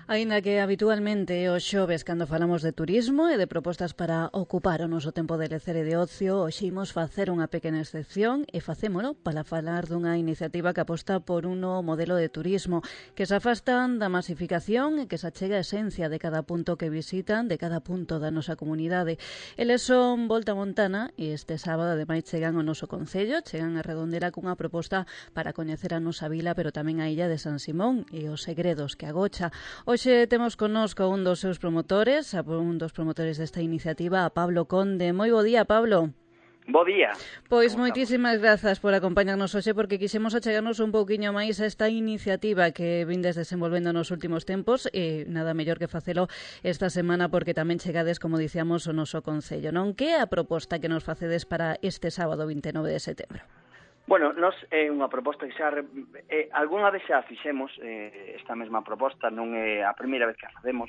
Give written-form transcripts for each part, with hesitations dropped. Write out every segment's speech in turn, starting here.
Aínda que habitualmente os xoves cando falamos de turismo e de propostas para ocupar o noso tempo de lecer e de ocio, hoxe imos facer unha pequena excepción e facémolo para falar dunha iniciativa que aposta por un novo modelo de turismo que se afastan da masificación e que se achega a esencia de cada punto que visitan, de cada punto da nosa comunidade. Eles son Volta Montana e este sábado ademais chegan ao noso concello, chegan a Redondela cunha proposta para coñecer a nosa vila, pero tamén a illa de San Simón e os segredos que agocha. Hoxe temos connosco un dos seus promotores, un dos promotores desta iniciativa, a Pablo Conde. Moi bo día, Pablo. Bo día. Pois moitísimas grazas por acompañarnos hoxe, porque quixemos achegarnos un pouquiño máis a esta iniciativa que vindes desenvolvendo nos últimos tempos e nada mellor que facelo esta semana porque tamén chegades, como dicíamos, o noso concello, non? Que é a proposta que nos facedes para este sábado 29 de setembro? Bueno, nos é unha proposta que xa algunha vez xa fixemos esta mesma proposta, non é a primeira vez que a facemos,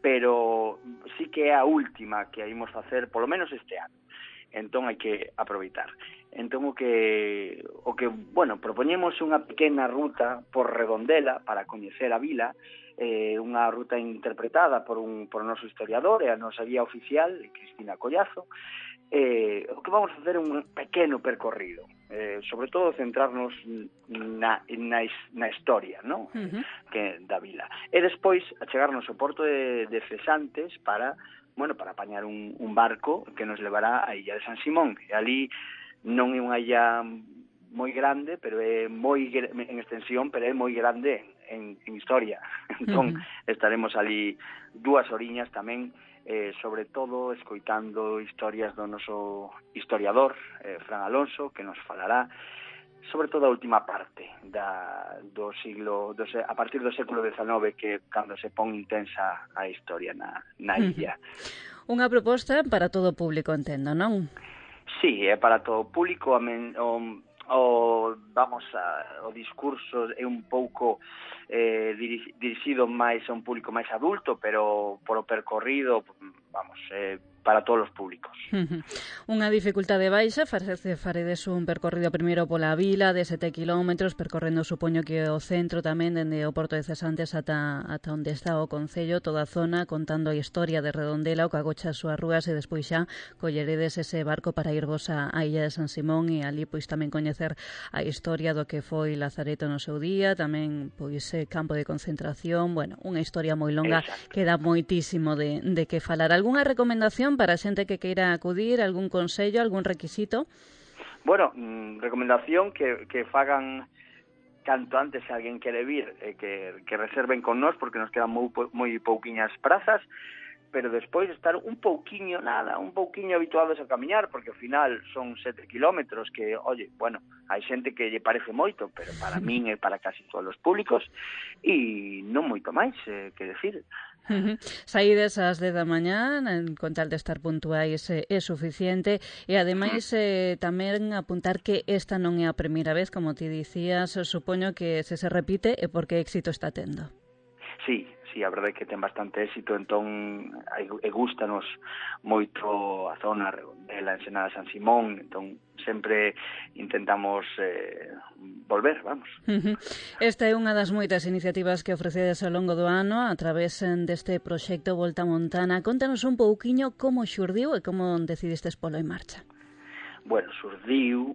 pero sí que é a última que a imos facer, polo menos este ano. Entón hai que aproveitar. Entón o que propoñemos unha pequena ruta por Redondela para coñecer a vila, unha ruta interpretada por o noso historiador e a nosa guía oficial, Cristina Collazo. O que vamos a facer é un pequeno percorrido, sobre todo centrarnos na historia, ¿no? Que da vila. E despois achegarnos ao porto de Cesantes para apañar un barco que nos levará á illa de San Simón. E ali non é unha illa moi grande, pero é moi en extensión, pero é moi grande en historia. Entón estaremos ali 2 horiñas tamén, sobre todo escoitando historias do noso historiador, Fran Alonso, que nos falará sobre todo a última parte do siglo, a partir do século XIX, que cando se pon intensa a historia na illa. Unha proposta para todo o público, entendo, non? Sí, é para todo o público. O discurso é un pouco dirixido máis a un público máis adulto, pero por o percorrido, para todos os públicos. Unha dificultade baixa, faredes un percorrido primeiro pola vila de 7 kilómetros, percorrendo, supoño que o centro tamén, dende o porto de Cesantes ata onde está o concello, toda a zona, contando a historia de Redondela, o que agocha as súas rúas, e despois xa colleredes ese barco para irvos á illa de San Simón, e ali pois tamén coñecer a historia do que foi Lazareto no seu día, tamén pois campo de concentración, unha historia moi longa. Exacto. Que dá moitísimo de que falar. Algúnha recomendación para a xente que queira acudir, algún consello, algún requisito? Bueno, recomendación que fagan canto antes se alguén quere vir, que reserven con nós, porque nos quedan moi pouquiñas prazas, pero despois estar un pouquiño habituados a camiñar, porque ao final son 7 kilómetros que, hai xente que lle parece moito, pero para min e para casi todos os públicos, e non moito máis, que decir. Saídes ás 10 da mañá, con tal de estar puntuais é suficiente, e ademais tamén apuntar que esta non é a primeira vez, como ti dicías, supoño que se repite é porque éxito está tendo. Sí, a verdade é que ten bastante éxito, entón gústanos moito a zona Redondela, Ensenada, San Simón, entón sempre intentamos volver, vamos. Esta é unha das moitas iniciativas que ofrecedes ao longo do ano a través deste proxecto Volta Montana. Contanos un pouquiño como xurdiu e como decidistes polo en marcha. Bueno, xurdiu,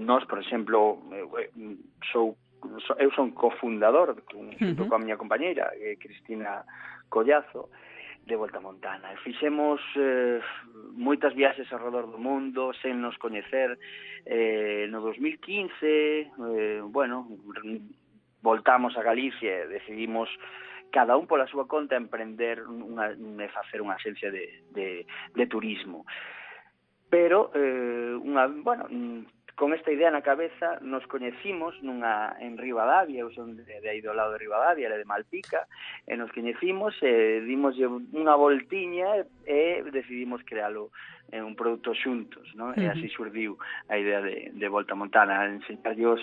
nós, por exemplo, eu son cofundador junto coa miña compañeira Cristina Collazo de Volta Montana. Fixemos moitas viaxes ao redor do mundo sen nos coñecer. No 2015 voltamos a Galicia e decidimos cada un pola súa conta emprender e facer unha axencia de turismo. Pero con esta idea na cabeza nos coñecimos en Ribadavia, eu son de aí do lado de Ribadavia, era de Malpica, e nos coñecimos e dimoslle unha voltiña e decidimos crealo un produto xuntos, non? E así xurdiu a idea de Volta Montana, enseñarlle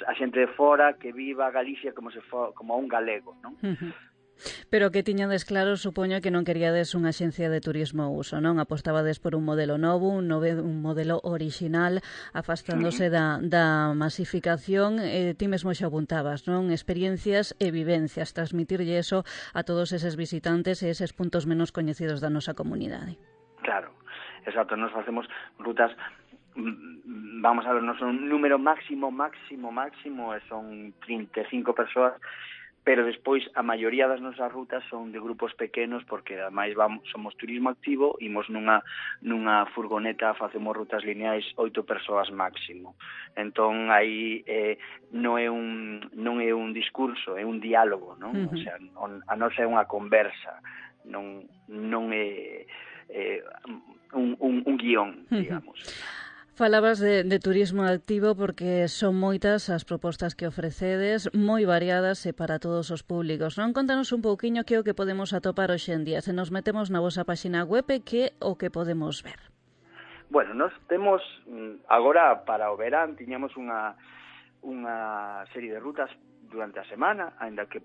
a xente de fora que viva Galicia como un galego, non? Pero que tiñades claro, supoño que non queríades unha axencia de turismo ao uso, non? Apostabades por un modelo novo, un modelo orixinal, afastándose da masificación, ti mesmo xa apuntabas, non? Experiencias e vivencias, transmitirlle eso a todos eses visitantes e eses puntos menos coñecidos da nosa comunidade. Claro, exacto, nos facemos rutas, vamos a ver, non son un número máximo, e son 35 persoas, pero despois a maioría das nosas rutas son de grupos pequenos, porque ademais somos turismo activo, imos nunha furgoneta, facemos rutas lineais 8 persoas máximo. Entón aí non é un discurso, é un diálogo, non? O sea, a nosa é unha conversa, non é un guión, digamos. Falabas de turismo activo porque son moitas as propostas que ofrecedes, moi variadas e para todos os públicos, non? Contanos un pouquiño que é o que podemos atopar hoxe en día. Se nos metemos na vosa página web, que o que podemos ver? Bueno, nos temos, agora para o verán, tiñamos unha serie de rutas durante a semana, aínda que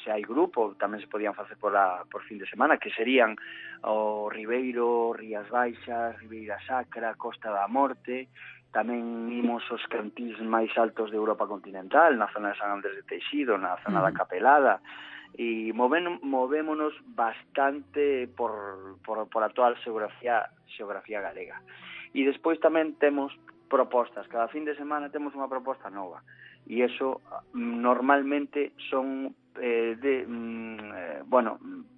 se hai grupo, tamén se podían facer por fin de semana, que serían o Ribeiro, Rías Baixas, Ribeira Sacra, Costa da Morte, tamén imos os cantís máis altos de Europa continental, na zona de San Andrés de Teixido, na zona da Capelada, e movémonos bastante por a toda a xeografía galega. E despois tamén temos propostas, cada fin de semana temos unha proposta nova, e eso normalmente son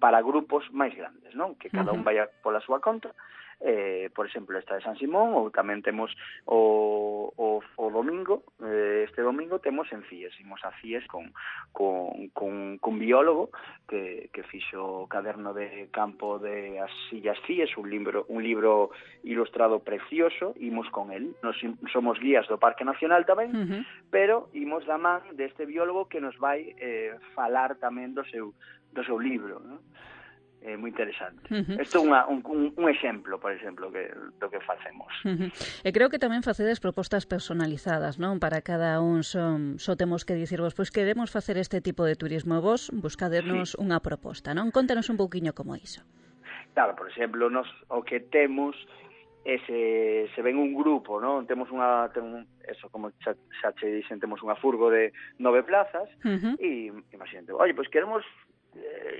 para grupos máis grandes, non? Que cada un vaya pola súa conta. Por exemplo, esta de San Simón, ou tamén temos o domingo, este domingo temos en Cies, imos a Cies con biólogo que fixo o caderno de campo de as Illas Cies, un libro ilustrado precioso, imos con el, nos somos guías do Parque Nacional tamén, pero imos da man deste biólogo que nos vai falar tamén do seu libro, non? É moi interesante. Isto é un exemplo, por exemplo, do que facemos. E creo que tamén facedes propostas personalizadas, non? Para cada un só temos que dicirvos, pois queremos facer este tipo de turismo, vos buscadernos unha proposta, non? Contanos un pouquiño como iso. Claro, por exemplo, nos o que temos se ven un grupo, non? Temos eso, como xa che dixen, temos unha furgo de 9 plazas, e imagínate, oye, pois queremos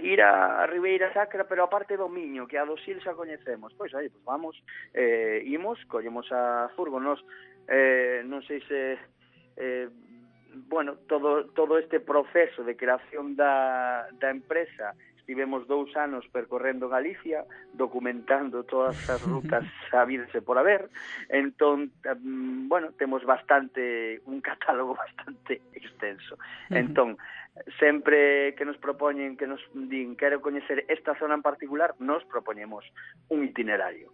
ir a Ribeira Sacra, pero a parte do Miño, que a do Sil xa coñecemos. Pois aí, pois vamos, imos, collemos a furgo, non sei se todo este proceso de creación da empresa, estivemos 2 anos percorrendo Galicia, documentando todas as rutas sabidas e por haber. Entón, temos un catálogo bastante extenso. Entón, sempre que nos propoñen, que nos din quero coñecer esta zona en particular, nos propoñemos un itinerario.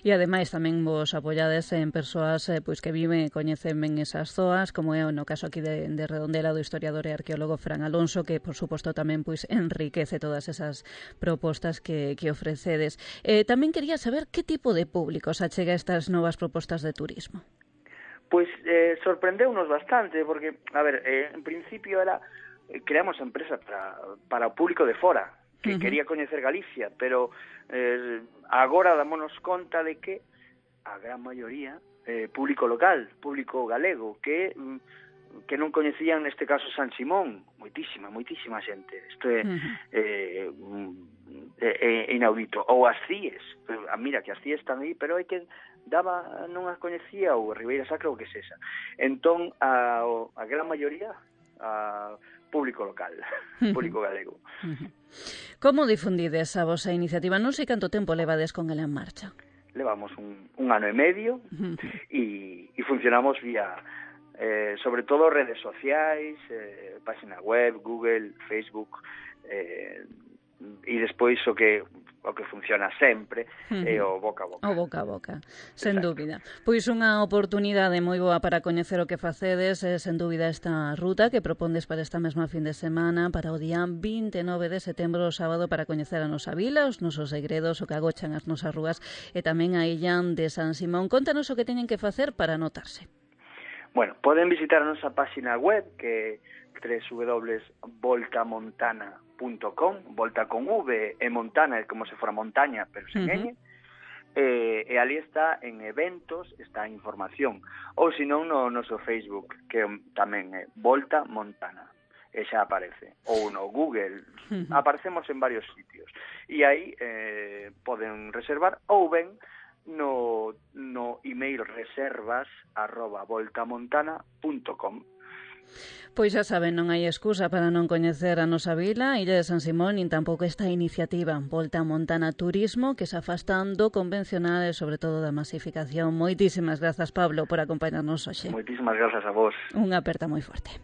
E ademais tamén vos apoiades en persoas pois que viven e coñecen ben esas zoas, como é no caso aquí de Redondela do historiador e arqueólogo Fran Alonso, que por suposto tamén pois enriquece todas esas propostas que ofrecedes. Tamén quería saber que tipo de público se achega a estas novas propostas de turismo. Pois sorprendeunos bastante, porque, a ver, en principio creamos a empresa para o público de fora, que quería coñecer Galicia, pero agora dámonos conta de que a gran maioría público local, público galego, que non coñecían neste caso San Simón, moitísima xente. Isto é inaudito. Ou as Cies, mira que as Cies están aí, pero hai que non as coñecía, ou Ribeira Sacra, ou que sexa. Entón, a gran maioría público local, público galego. Como difundides a vosa iniciativa? Non sei canto tempo levades con ela en marcha. Levamos un ano e medio e funcionamos vía sobre todo redes sociais, página web, Google, Facebook, e despois o que funciona sempre é o boca a boca. O boca a boca, sen dúbida. Pois unha oportunidade moi boa para coñecer o que facedes, sen dúbida esta ruta que propondes para esta mesma fin de semana, para o día 29 de setembro, o sábado, para coñecer a nosa vila, os nosos segredos, o que agochan as nosas rúas e tamén a illa de San Simón. Contanos o que teñen que facer para anotarse. Bueno, poden visitar a nosa página web, que www.voltamontana.com, volta con V e montana é como se fora montaña, pero sen N. E ali está en eventos, está a información, ou senón no noso Facebook, que tamén é Volta Montana, e xa aparece, ou no Google, aparecemos en varios sitios, e aí poden reservar, ou ben no email reservas@voltamontana.com. Pois xa saben, non hai excusa para non coñecer a nosa vila, Illa de San Simón, nin tampouco esta iniciativa Volta Montana Turismo, que se afastan do convencional e sobre todo da masificación. Moitísimas grazas, Pablo, por acompañarnos hoxe. Moitísimas grazas a vos. Unha aperta moi forte.